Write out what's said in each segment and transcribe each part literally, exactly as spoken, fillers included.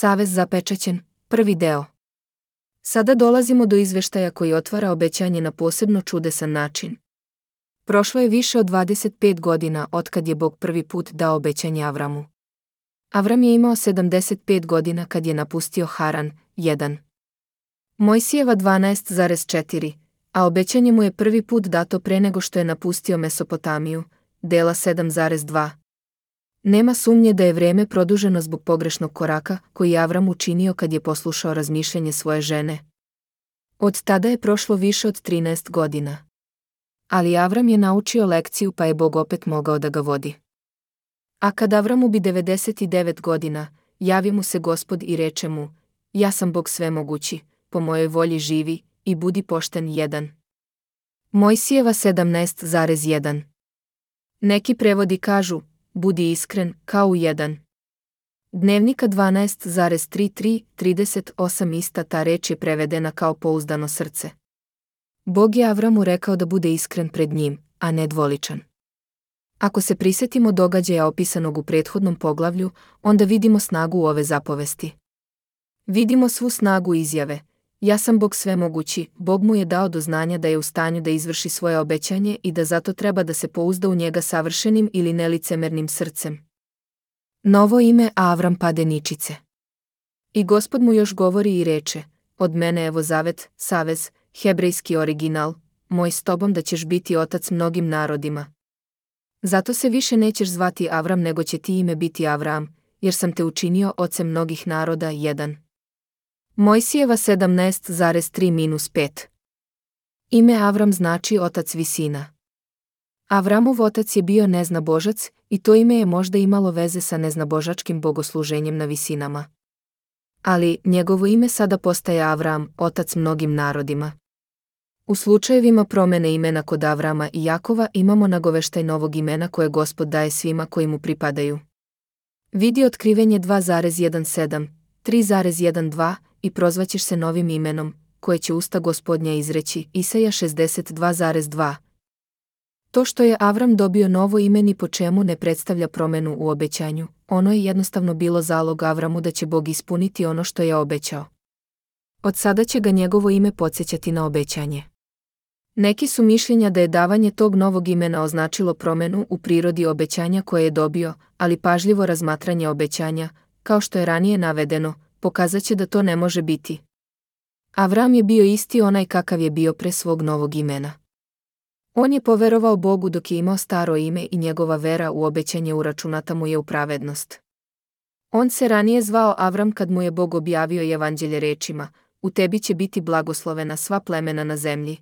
Savez zapečaćen, prvi deo. Sada dolazimo do izveštaja koji otvara obećanje na posebno čudesan način. Prošlo je više od dvadeset pet godina otkad je Bog prvi put dao obećanje Avramu. Avram je imao sedamdeset pet godina kad je napustio Haran, jedan. Mojsijeva dvanaest zarez četiri, a obećanje mu je prvi put dato pre nego što je napustio Mesopotamiju, dela sedam zarez dva. Nema sumnje da je vreme produženo zbog pogrešnog koraka koji je Avram učinio kad je poslušao razmišljanje svoje žene. Od tada je prošlo više od trinaest godina. Ali Avram je naučio lekciju pa je Bog opet mogao da ga vodi. A kad Avramu bi devedeset devet godina, javi mu se Gospod i reče mu: ja sam Bog svemogući, po mojoj volji živi i budi pošten. jedan. Mojsijeva sedamnaest zarez jedan. Neki prevodi kažu: budi iskren, kao u jedan. Dnevnika dvanaest zarez trideset tri trideset osam ista ta reč je prevedena kao pouzdano srce. Bog je Avramu rekao da bude iskren pred njim, a ne dvoličan. Ako se prisjetimo događaja opisanog u prethodnom poglavlju, onda vidimo snagu ove zapovesti. Vidimo svu snagu izjave: ja sam Bog svemogući. Bog mu je dao do znanja da je u stanju da izvrši svoje obećanje i da zato treba da se pouzda u njega savršenim ili nelicemernim srcem. Novo ime Avram pade ničice. I Gospod mu još govori i reče: od mene evo zavet, savez, hebrejski original, moj s tobom da ćeš biti otac mnogim narodima. Zato se više nećeš zvati Avram nego će ti ime biti Avram, jer sam te učinio ocem mnogih naroda. jedan. Mojsijeva sedamnaest zarez tri pet. Ime Avram znači otac visina. Avramov otac je bio neznabožac i to ime je možda imalo veze sa neznabožačkim bogosluženjem na visinama. Ali njegovo ime sada postaje Avram, otac mnogim narodima. U slučajevima promene imena kod Avrama i Jakova imamo nagoveštaj novog imena koje Gospod daje svima koji mu pripadaju. Vidi Otkrivenje dva zarez sedamnaest, tri zarez dvanaest i prozvaćeš se novim imenom, koje će usta Gospodnja izreći, Isaja šezdeset dva zarez dva. To što je Avram dobio novo ime ni po čemu ne predstavlja promenu u obećanju, ono je jednostavno bilo zalog Avramu da će Bog ispuniti ono što je obećao. Od sada će ga njegovo ime podsjećati na obećanje. Neki su mišljenja da je davanje tog novog imena označilo promenu u prirodi obećanja koje je dobio, ali pažljivo razmatranje obećanja, kao što je ranije navedeno, pokazat će da to ne može biti. Avram je bio isti onaj kakav je bio pre svog novog imena. On je poverovao Bogu dok je imao staro ime i njegova vera u obećanje uračunata mu je u pravednost. On se ranije zvao Avram kad mu je Bog objavio evanđelje rečima: u tebi će biti blagoslovena sva plemena na zemlji.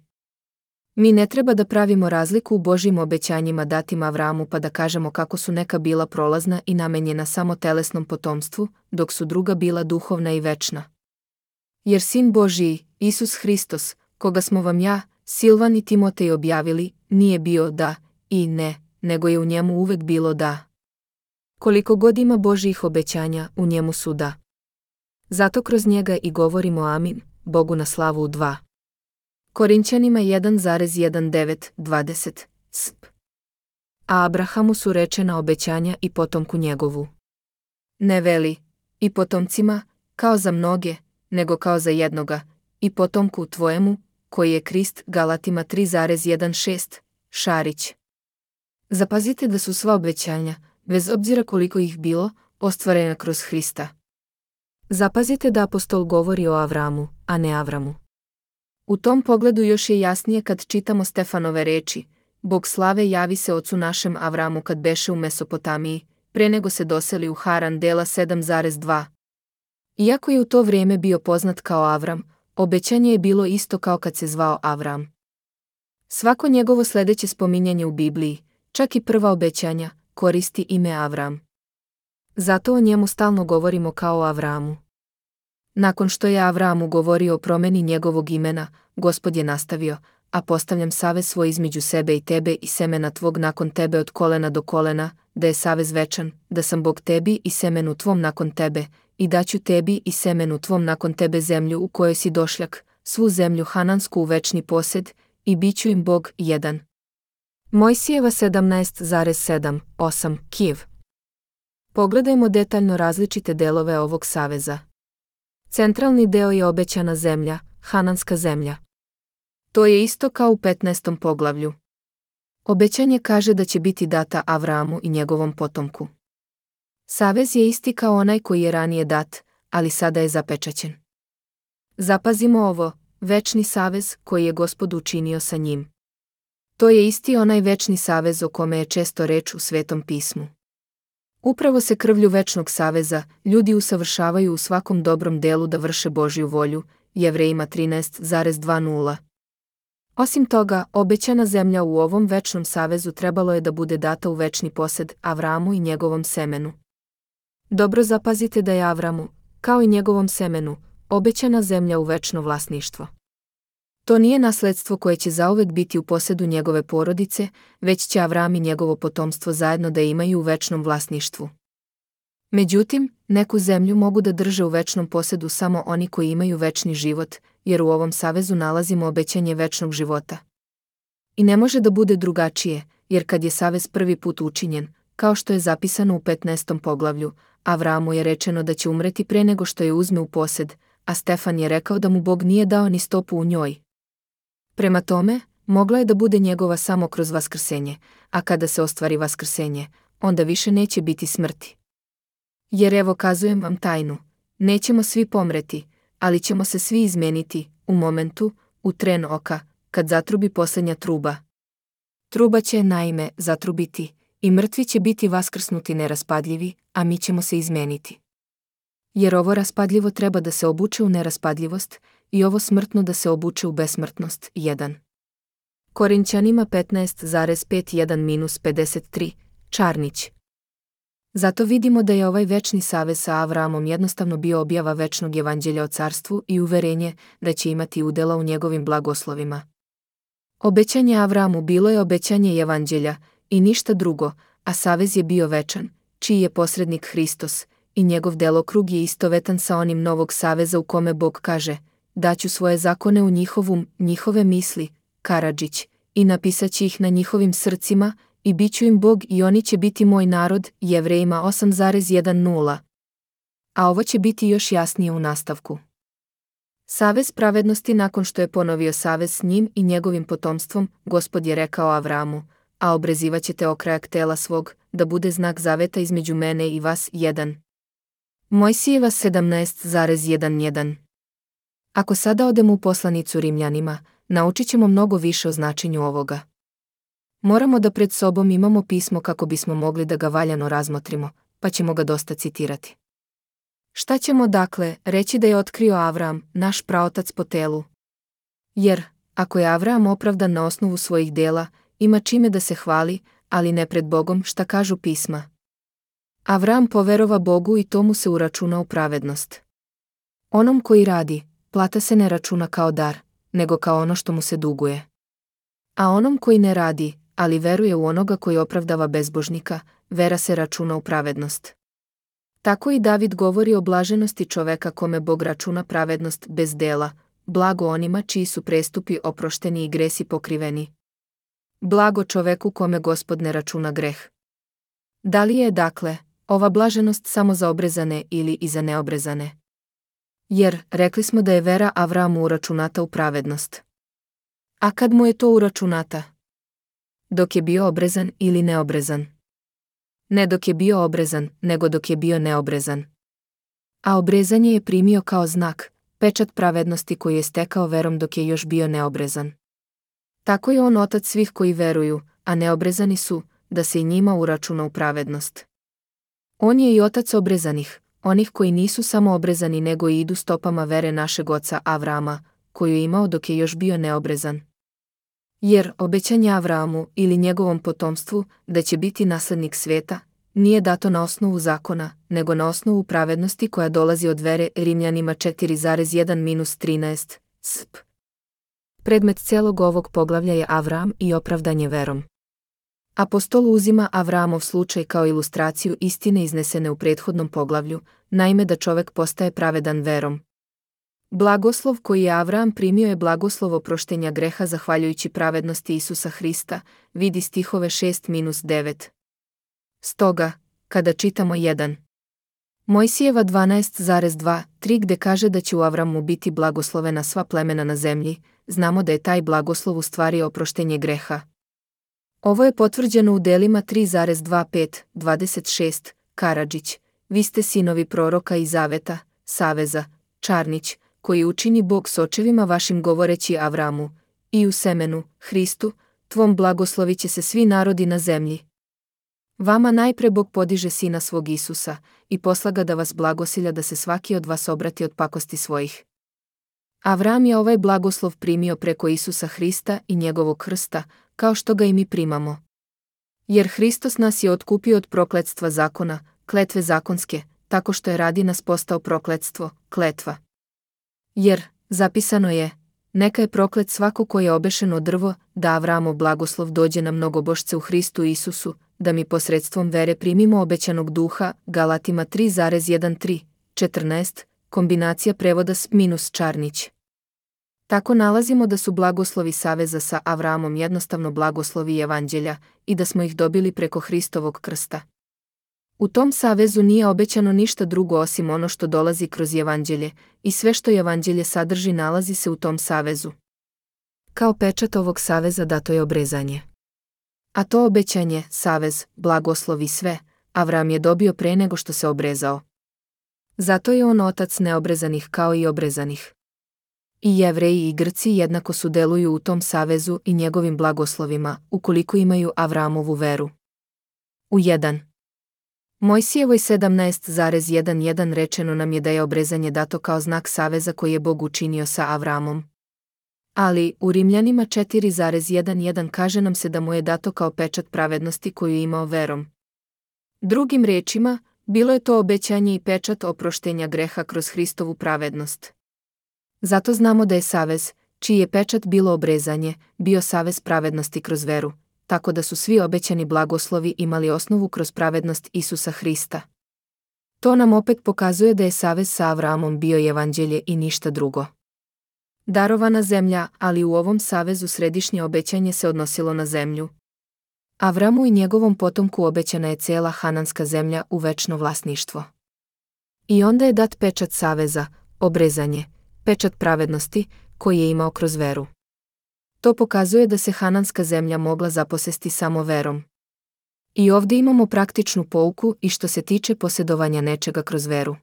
Mi ne treba da pravimo razliku u Božjim obećanjima datim Avramu pa da kažemo kako su neka bila prolazna i namenjena samo telesnom potomstvu, dok su druga bila duhovna i večna. Jer Sin Božji, Isus Hristos, koga smo vam ja, Silvan i Timotej objavili, nije bio da i ne, nego je u njemu uvek bilo da. Koliko god ima Božjih obećanja, u njemu su da. Zato kroz njega i govorimo amin, Bogu na slavu u dva. Korinćanima jedan zarez devetnaest dvadeset sp. A Abrahamu su rečena obećanja i potomku njegovu. Ne veli, i potomcima, kao za mnoge, nego kao za jednoga, i potomku tvojemu, koji je Krist. Galatima tri zarez šesnaest, Šarić. Zapazite da su sva obećanja, bez obzira koliko ih bilo, ostvarena kroz Hrista. Zapazite da apostol govori o Avramu, a ne Avramu. U tom pogledu još je jasnije kad čitamo Stefanove reči: Bog slave javi se ocu našem Avramu kad beše u Mesopotamiji, pre nego se doseli u Haran, dela sedam zarez dva. Iako je u to vrijeme bio poznat kao Avram, obećanje je bilo isto kao kad se zvao Avram. Svako njegovo sljedeće spominjanje u Bibliji, čak i prva obećanja, koristi ime Avram. Zato o njemu stalno govorimo kao o Avramu. Nakon što je Avramu govorio o promeni njegovog imena, Gospod je nastavio: a postavljam savez svoj između sebe i tebe i semena tvog nakon tebe od kolena do kolena, da je savez večan, da sam Bog tebi i semenu tvom nakon tebe, i daću tebi i semenu tvom nakon tebe zemlju u kojoj si došljak, svu zemlju Hanansku u večni posjed, i bit ću im Bog. jedan. Mojsijeva sedamnaest zarez sedam osam Kijev. Pogledajmo detaljno različite delove ovog saveza. Centralni deo je obećana zemlja, Hananska zemlja. To je isto kao u petnaestom poglavlju. Obećanje kaže da će biti data Avramu i njegovom potomku. Savez je isti kao onaj koji je ranije dat, ali sada je zapečaćen. Zapazimo ovo, večni savez koji je Gospod učinio sa njim. To je isti onaj večni savez o kome je često reč u Svetom pismu. Upravo se krvlju večnog saveza ljudi usavršavaju u svakom dobrom delu da vrše Božju volju, Jevrejima trinaest dvadeset. Osim toga, obećana zemlja u ovom večnom savezu trebalo je da bude data u večni posed Avramu i njegovom semenu. Dobro zapazite da je Avramu, kao i njegovom semenu, obećana zemlja u večno vlasništvo. To nije nasledstvo koje će zauvek biti u posedu njegove porodice, već će Avram i njegovo potomstvo zajedno da imaju u večnom vlasništvu. Međutim, neku zemlju mogu da drže u večnom posedu samo oni koji imaju večni život, jer u ovom savezu nalazimo obećanje večnog života. I ne može da bude drugačije, jer kad je savez prvi put učinjen, kao što je zapisano u petnaestom poglavlju, Avramu je rečeno da će umreti pre nego što je uzme u posed, a Stefan je rekao da mu Bog nije dao ni stopu u njoj. Prema tome, mogla je da bude njegova samo kroz vaskrsenje, a kada se ostvari vaskrsenje, onda više neće biti smrti. Jer evo kazujem vam tajnu, nećemo svi pomreti, ali ćemo se svi izmeniti, u momentu, u tren oka, kad zatrubi posljednja truba. Truba će, naime, zatrubiti, i mrtvi će biti vaskrsnuti neraspadljivi, a mi ćemo se izmeniti. Jer ovo raspadljivo treba da se obuče u neraspadljivost, i ovo smrtno da se obuče u besmrtnost. jedan. Korinćanima petnaest pet jedan pedeset tri, Čarnić. Zato vidimo da je ovaj večni savez sa Avramom jednostavno bio objava večnog evanđelja o carstvu i uverenje da će imati udela u njegovim blagoslovima. Obećanje Avramu bilo je obećanje evanđelja i ništa drugo, a savez je bio večan, čiji je posrednik Hristos, i njegov delokrug je istovetan sa onim novog saveza u kome Bog kaže: daću svoje zakone u njihovum, njihove misli, Karadžić, i napisaći ih na njihovim srcima, i bit ću im Bog i oni će biti moj narod, Jevrejima osam jedanaest. A ovo će biti još jasnije u nastavku. Savez pravednosti nakon što je ponovio savez s njim i njegovim potomstvom, Gospod je rekao Avramu: a obrezivaćete okrajak tela svog, da bude znak zaveta između mene i vas. jedan. Mojsijeva sedamnaest jedan. Ako sada odemo u poslanicu Rimljanima, naučit ćemo mnogo više o značenju ovoga. Moramo da pred sobom imamo pismo kako bismo mogli da ga valjano razmotrimo, pa ćemo ga dosta citirati. Šta ćemo dakle reći da je otkrio Avram, naš praotac po telu? Jer, ako je Avram opravdan na osnovu svojih dela, ima čime da se hvali, ali ne pred Bogom, šta kažu pisma. Avram poverova Bogu i to mu se uračuna u pravednost. Onom koji radi, plata se ne računa kao dar, nego kao ono što mu se duguje. A onom koji ne radi, ali veruje u onoga koji opravdava bezbožnika, vera se računa u pravednost. Tako i David govori o blaženosti čoveka kome Bog računa pravednost bez dela, blago onima čiji su prestupi oprošteni i gresi pokriveni. Blago čoveku kome Gospod ne računa greh. Da li je, dakle, ova blaženost samo za obrezane ili i za neobrezane? Jer, rekli smo da je vera Avramu uračunata u pravednost. A kad mu je to uračunata? Dok je bio obrezan ili neobrezan? Ne dok je bio obrezan, nego dok je bio neobrezan. A obrezanje je primio kao znak, pečat pravednosti koji je stekao verom dok je još bio neobrezan. Tako je on otac svih koji veruju, a neobrezani su, da se i njima uračuna u pravednost. On je i otac obrezanih, onih koji nisu samo obrezani nego i idu stopama vere našeg oca Avrama, koju je imao dok je još bio neobrezan. Jer obećanje Avramu ili njegovom potomstvu da će biti naslednik sveta, nije dato na osnovu zakona, nego na osnovu pravednosti koja dolazi od vere. Rimljanima četiri jedan trinaest. Sp. Predmet celog ovog poglavlja je Avram i opravdanje verom. Apostol uzima Avramov slučaj kao ilustraciju istine iznesene u prethodnom poglavlju, naime da čovek postaje pravedan verom. Blagoslov koji je Avram primio je blagoslov oproštenja greha zahvaljujući pravednosti Isusa Hrista, vidi stihove šest do devet. Stoga, kada čitamo jedan. Mojsijeva dvanaest dva tri gde kaže da će u Avramu biti blagoslovena sva plemena na zemlji, znamo da je taj blagoslov u stvari oproštenje greha. Ovo je potvrđeno u delima tri dva pet dvadeset šest, Karadžić, vi ste sinovi proroka i zaveta, saveza, Čarnić, koji učini Bog s očevima vašim govoreći Avramu, i u semenu, Hristu, tvom blagoslovit će se svi narodi na zemlji. Vama najpre Bog podiže sina svog Isusa i posla ga da vas blagosilja da se svaki od vas obrati od pakosti svojih. Avram je ovaj blagoslov primio preko Isusa Hrista i njegovog krsta, kao što ga i mi primamo. Jer Hristos nas je otkupio od prokletstva zakona, kletve zakonske, tako što je radi nas postao prokletstvo, kletva. Jer, zapisano je, neka je proklet svako ko je obešen od drvo, da Avramov blagoslov dođe na mnogobošce u Hristu Isusu, da mi posredstvom vere primimo obećanog duha, Galatima tri jedan tri, četrnaest, kombinacija prevoda s minus Čarnić. Tako nalazimo da su blagoslovi saveza sa Avramom jednostavno blagoslovi evanđelja i da smo ih dobili preko Hristovog krsta. U tom savezu nije obećano ništa drugo osim ono što dolazi kroz evanđelje i sve što evanđelje sadrži nalazi se u tom savezu. Kao pečat ovog saveza dato je obrezanje. A to obećanje, savez, blagoslov i sve, Avram je dobio pre nego što se obrezao. Zato je on otac neobrezanih kao i obrezanih. I Jevreji i Grci jednako sudeluju u tom savezu i njegovim blagoslovima, ukoliko imaju Avramovu veru. U jedan. Mojsijevoj sedamnaest jedan rečeno nam je da je obrezanje dato kao znak saveza koji je Bog učinio sa Avramom. Ali, u Rimljanima četiri jedan kaže nam se da mu je dato kao pečat pravednosti koju je imao verom. Drugim rečima, bilo je to obećanje i pečat oproštenja greha kroz Hristovu pravednost. Zato znamo da je savez, čiji je pečat bilo obrezanje, bio savez pravednosti kroz veru, tako da su svi obećani blagoslovi imali osnovu kroz pravednost Isusa Hrista. To nam opet pokazuje da je savez sa Avramom bio evanđelje i ništa drugo. Darovana zemlja, ali u ovom savezu središnje obećanje se odnosilo na zemlju. Avramu i njegovom potomku obećana je cela Hananska zemlja u večno vlasništvo. I onda je dat pečat saveza, obrezanje, pečat pravednosti, koji je imao kroz veru. To pokazuje da se Hananska zemlja mogla zaposesti samo verom. I ovdje imamo praktičnu pouku i što se tiče posjedovanja nečega kroz veru.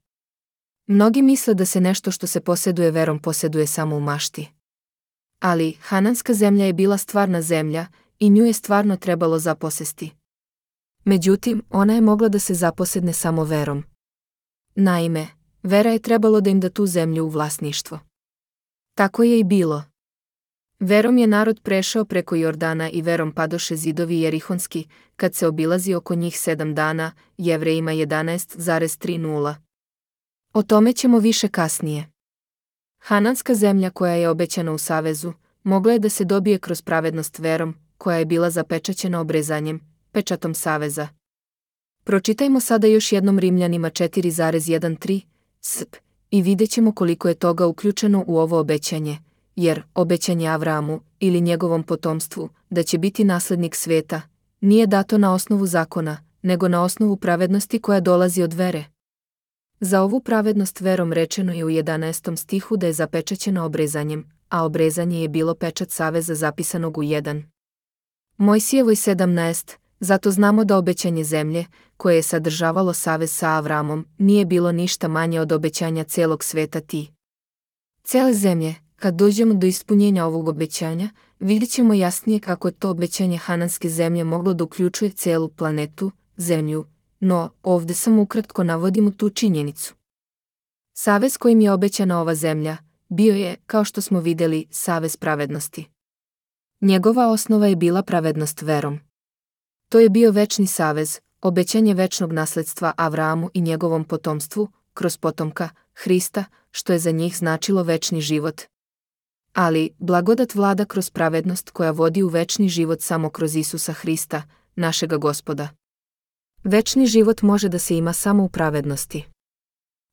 Mnogi misle da se nešto što se posjeduje verom posjeduje samo u mašti. Ali, Hananska zemlja je bila stvarna zemlja i nju je stvarno trebalo zaposesti. Međutim, ona je mogla da se zaposedne samo verom. Naime, vera je trebalo da im da tu zemlju u vlasništvo. Tako je i bilo. Verom je narod prešao preko Jordana i verom padoše zidovi jerihonski, kad se obilazi oko njih sedam dana, Jevrejima jedanaest trideset. O tome ćemo više kasnije. Hananska zemlja koja je obećana u savezu, mogla je da se dobije kroz pravednost verom, koja je bila zapečaćena obrezanjem, pečatom saveza. Pročitajmo sada još jednom Rimljanima četiri jedan tri, sp, i vidjet ćemo koliko je toga uključeno u ovo obećanje, jer obećanje Avramu ili njegovom potomstvu, da će biti naslednik sveta, nije dato na osnovu zakona, nego na osnovu pravednosti koja dolazi od vere. Za ovu pravednost verom rečeno je u jedanaestom stihu da je zapečaćeno obrezanjem, a obrezanje je bilo pečat saveza zapisanog u jedan. Mojsijevoj sedamnaest, zato znamo da obećanje zemlje, koje je sadržavalo savez sa Avramom, nije bilo ništa manje od obećanja celog sveta ti. Cele zemlje, kad dođemo do ispunjenja ovog obećanja, vidjet ćemo jasnije kako je to obećanje Hananske zemlje moglo da uključuje celu planetu, zemlju, no, ovdje samo ukratko navodimo tu činjenicu. Savez kojim je obećana ova zemlja, bio je, kao što smo vidjeli, savez pravednosti. Njegova osnova je bila pravednost verom. To je bio večni savez, obećanje večnog nasledstva Avramu i njegovom potomstvu, kroz potomka, Hrista, što je za njih značilo večni život. Ali, blagodat vlada kroz pravednost koja vodi u večni život samo kroz Isusa Hrista, našega Gospoda. Večni život može da se ima samo u pravednosti.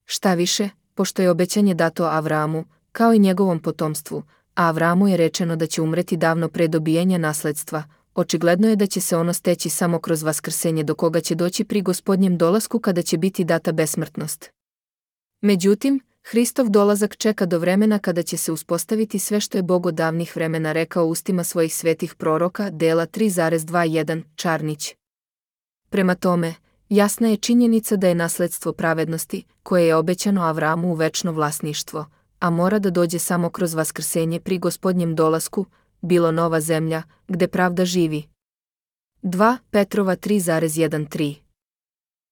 Šta više, pošto je obećanje dato Avramu, kao i njegovom potomstvu, a Avramu je rečeno da će umreti davno pre dobijanja nasledstva, očigledno je da će se ono steći samo kroz vaskrsenje do koga će doći pri Gospodnjem dolasku kada će biti data besmrtnost. Međutim, Hristov dolazak čeka do vremena kada će se uspostaviti sve što je Bog od davnih vremena rekao ustima svojih svetih proroka, dela tri zarez dvadeset jedan, Čarnić. Prema tome, jasna je činjenica da je nasledstvo pravednosti, koje je obećano Avramu u večno vlasništvo, a mora da dođe samo kroz vaskrsenje pri Gospodnjem dolasku, bilo nova zemlja, gde pravda živi. dva Petrova tri zarez jedan tri